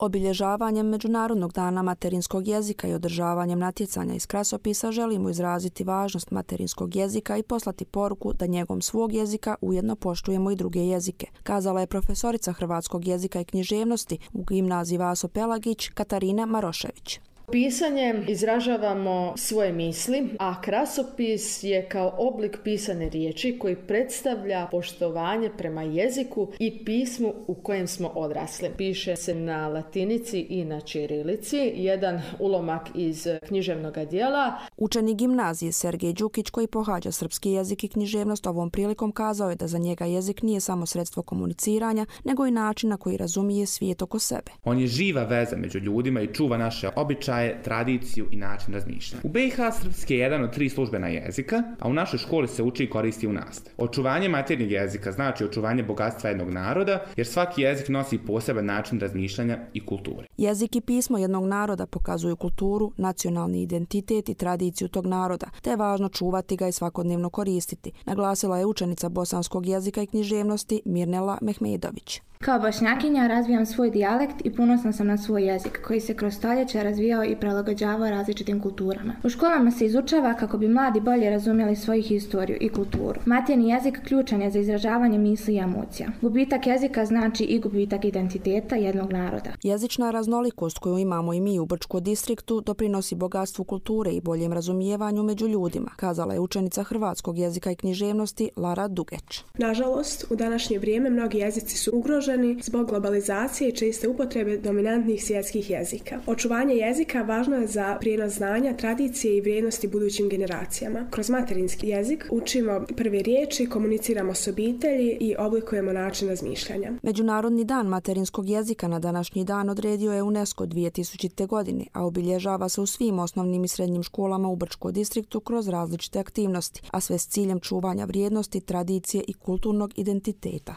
Obilježavanjem Međunarodnog dana materinskog jezika i održavanjem natjecanja iz krasopisa želimo izraziti važnost materinskog jezika i poslati poruku da njegom svog jezika ujedno poštujemo i druge jezike, kazala je profesorica hrvatskog jezika i književnosti u gimnaziji Vaso Pelagić Katarina Marošević. Pisanjem izražavamo svoje misli, a krasopis je kao oblik pisane riječi koji predstavlja poštovanje prema jeziku i pismu u kojem smo odrasli. Piše se na latinici i na ćirilici, jedan ulomak iz književnog djela. Učenik gimnazije Sergej Đukić, koji pohađa srpski jezik i književnost, ovom prilikom kazao je da za njega jezik nije samo sredstvo komuniciranja, nego i način na koji razumije svijet oko sebe. On je živa veza među ljudima i čuva naše običaje, tradiciju i način razmišljanja. U BiH srpski je jedan od 3 službena jezika, a u našoj školi se uči i koristi u nastavi. Očuvanje maternjeg jezika znači očuvanje bogatstva jednog naroda, jer svaki jezik nosi poseban način razmišljanja i kulture. Jezik i pismo jednog naroda pokazuju kulturu, nacionalni identitet i tradiciju tog naroda, te je važno čuvati ga i svakodnevno koristiti, naglasila je učenica bosanskog jezika i književnosti Mirnela Mehmedović. Kao Bošnjakinja razvijam svoj dijalekt i ponosna sam na svoj jezik, koji se kroz stoljeća razvijao i prilagođavao različitim kulturama. U školama se izučava kako bi mladi bolje razumjeli svoju historiju i kulturu. Maternji jezik ključan je za izražavanje misli i emocija. Gubitak jezika znači i gubitak identiteta jednog naroda. Jezična raznolikost koju imamo i mi u Brčkom distriktu doprinosi bogatstvu kulture i boljem razumijevanju među ljudima, kazala je učenica hrvatskog jezika i književnosti Lara Dugeć. Nažalost, u današnje vrijeme mnogi jezici su ugroženi zbog globalizacije i česte upotrebe dominantnih svjetskih jezika. Očuvanje jezika važno je za prijenos znanja, tradicije i vrijednosti budućim generacijama. Kroz materinski jezik učimo prve riječi, komuniciramo s obitelji i oblikujemo način razmišljanja. Međunarodni dan materinskog jezika na današnji dan odredio je UNESCO 2000. godine, a obilježava se u svim osnovnim i srednjim školama u Brčkom distriktu kroz različite aktivnosti, a sve s ciljem čuvanja vrijednosti, tradicije i kulturnog identiteta.